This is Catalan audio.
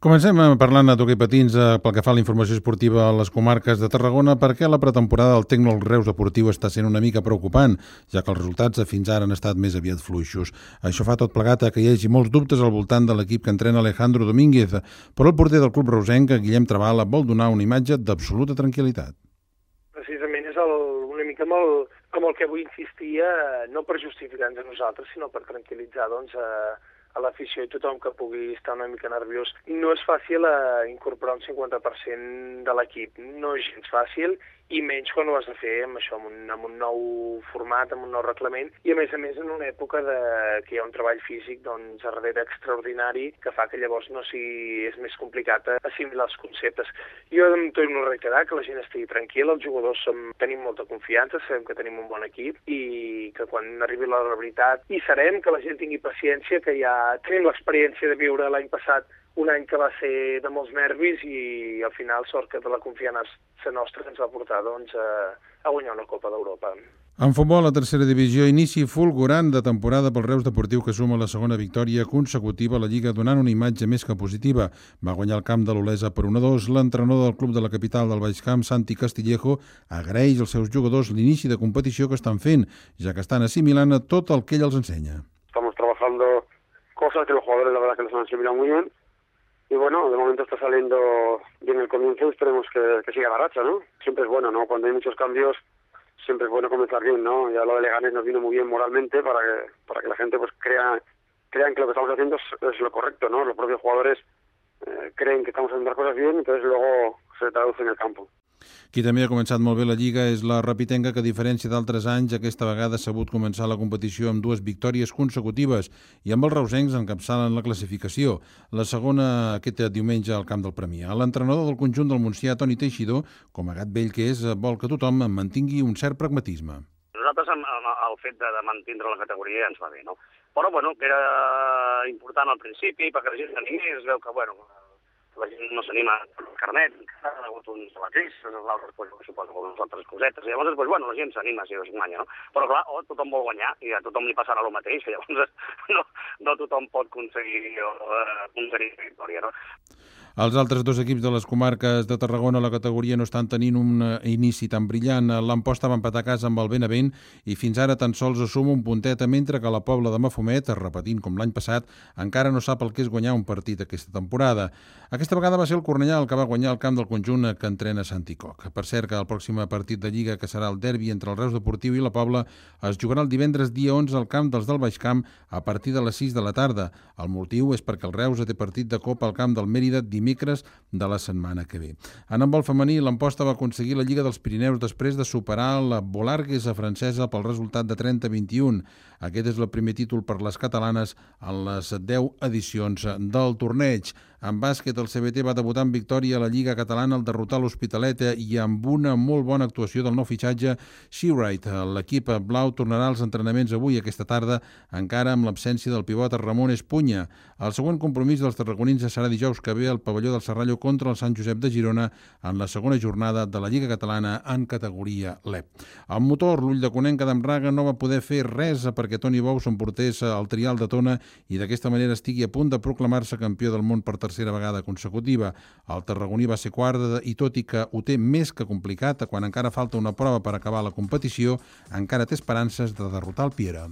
Comencem parlant d'hoquei patins pel que fa a la informació esportiva a les comarques de Tarragona, perquè la pretemporada del Tecno Reus Deportiu està sent una mica preocupant, ja que els resultats fins ara han estat més aviat fluixos. Això fa tot plegat que hi hagi molts dubtes al voltant de l'equip que entrena Alejandro Domínguez, però el porter del club reusenc, Guillem Trabala, vol donar una imatge d'absoluta tranquil·litat. Precisament és una mica amb el que vull insistir, no per justificar-nos a nosaltres, sinó per tranquil·litzar a l'afició i tothom que pugui estar una mica nerviós. No és fàcil incorporar un 50% de l'equip, no és gens fàcil, i menys quan ho has de fer amb això, amb un nou format, amb un nou reglament, i a més en una època que hi ha un treball físic doncs, a darrere extraordinari, que fa que llavors és més complicat assimilar els conceptes. Jo em torno a reiterar que la gent estigui tranquil·la, els jugadors tenim molta confiança, sabem que tenim un bon equip i que quan arribi la veritat hi serem, que la gent tingui paciència, que ja tenim l'experiència de viure l'any passat un any que va ser de molts nervis i al final sort que de la confiança nostra ens va portar a guanyar una Copa d'Europa. En futbol, la tercera divisió, inici fulgurant de temporada pel Reus Deportiu, que suma la segona victòria consecutiva a la Lliga, donant una imatge més que positiva. Va guanyar el camp de l'Olesa per 1-2. L'entrenador del club de la capital del Baix Camp, Santi Castillejo, agraeix als seus jugadors l'inici de competició que estan fent, ja que estan assimilant tot el que ell els ensenya. Estamos trabajando cosas que los jugadores la verdad que los han asimilado muy bien. Y bueno, de momento está saliendo bien el comienzo y esperemos que siga la racha, ¿no? Siempre es bueno, ¿no? Cuando hay muchos cambios, siempre es bueno comenzar bien, ¿no? Ya lo de Leganés nos vino muy bien moralmente para que la gente pues crean que lo que estamos haciendo es lo correcto, ¿no? Los propios jugadores creen que estamos haciendo las cosas bien, entonces luego se traduce en el campo. Qui també ha començat molt bé la Lliga és la Rapitenca, que a diferència d'altres anys, aquesta vegada ha sabut començar la competició amb 2 victòries consecutives i amb els reusencs encapçalen la classificació. La segona aquest diumenge al camp del Premià. L'entrenador del conjunt del Montsià, Toni Teixidor, com a gat vell que és, vol que tothom mantingui un cert pragmatisme. Nosaltres el fet de mantenir la categoria ens va bé, no? Però, bueno, que era important al principi perquè la gent s'animés, es veu que, bueno, la gent no s'anima al carnet, ha hagut uns debatís, l'altre suposo que unes altres cosetes, i llavors, bueno, la gent s'anima si es guanya, no? Però clar, tothom vol guanyar, i a tothom li passarà el mateix, i llavors no tothom pot aconseguir victòria, no? Els altres 2 equips de les comarques de Tarragona a la categoria no estan tenint un inici tan brillant. L'Amposta va empatar a casa amb el Benavent i fins ara tan sols assuma un puntet, mentre que la Pobla de Mafumet, repetint com l'any passat, encara no sap el que és guanyar un partit aquesta temporada. Aquesta vegada va ser el Cornellà el que va guanyar el camp del conjunt que entrena Santi Coc. Per cert, que el pròxim partit de Lliga, que serà el derbi entre el Reus Deportiu i la Pobla, es jugarà el divendres dia 11 al camp dels del Baix Camp a partir de les 6 de la tarda. El motiu és perquè el Reus té partit de Copa al camp del Mèrida dimecres de la setmana que ve. En handbol femení, l'Amposta va aconseguir la Lliga dels Pirineus després de superar la Bolarguesa francesa pel resultat de 30-21. Aquest és el primer títol per les catalanes en les 10 edicions del torneig. En bàsquet, el CBT va debutar en victòria a la Lliga Catalana al derrotar l'Hospitalet i amb una molt bona actuació del nou fitxatge Seawright. L'equip blau tornarà als entrenaments avui, aquesta tarda, encara amb l'absència del pivot Ramon Espunya. El següent compromís dels tarragonins serà dijous que ve al pavelló del Serrallo contra el Sant Josep de Girona en la segona jornada de la Lliga Catalana en categoria LEP. El motor, l'Ull de Conenca d'Amraga, no va poder fer res perquè Toni Bou s'emportés al trial de Tona i d'aquesta manera estigui a punt de proclamar-se campió del món per tercera vegada consecutiva. El tarragoní va ser quart i tot i que ho té més que complicat, quan encara falta una prova per acabar la competició, encara té esperances de derrotar el Piera.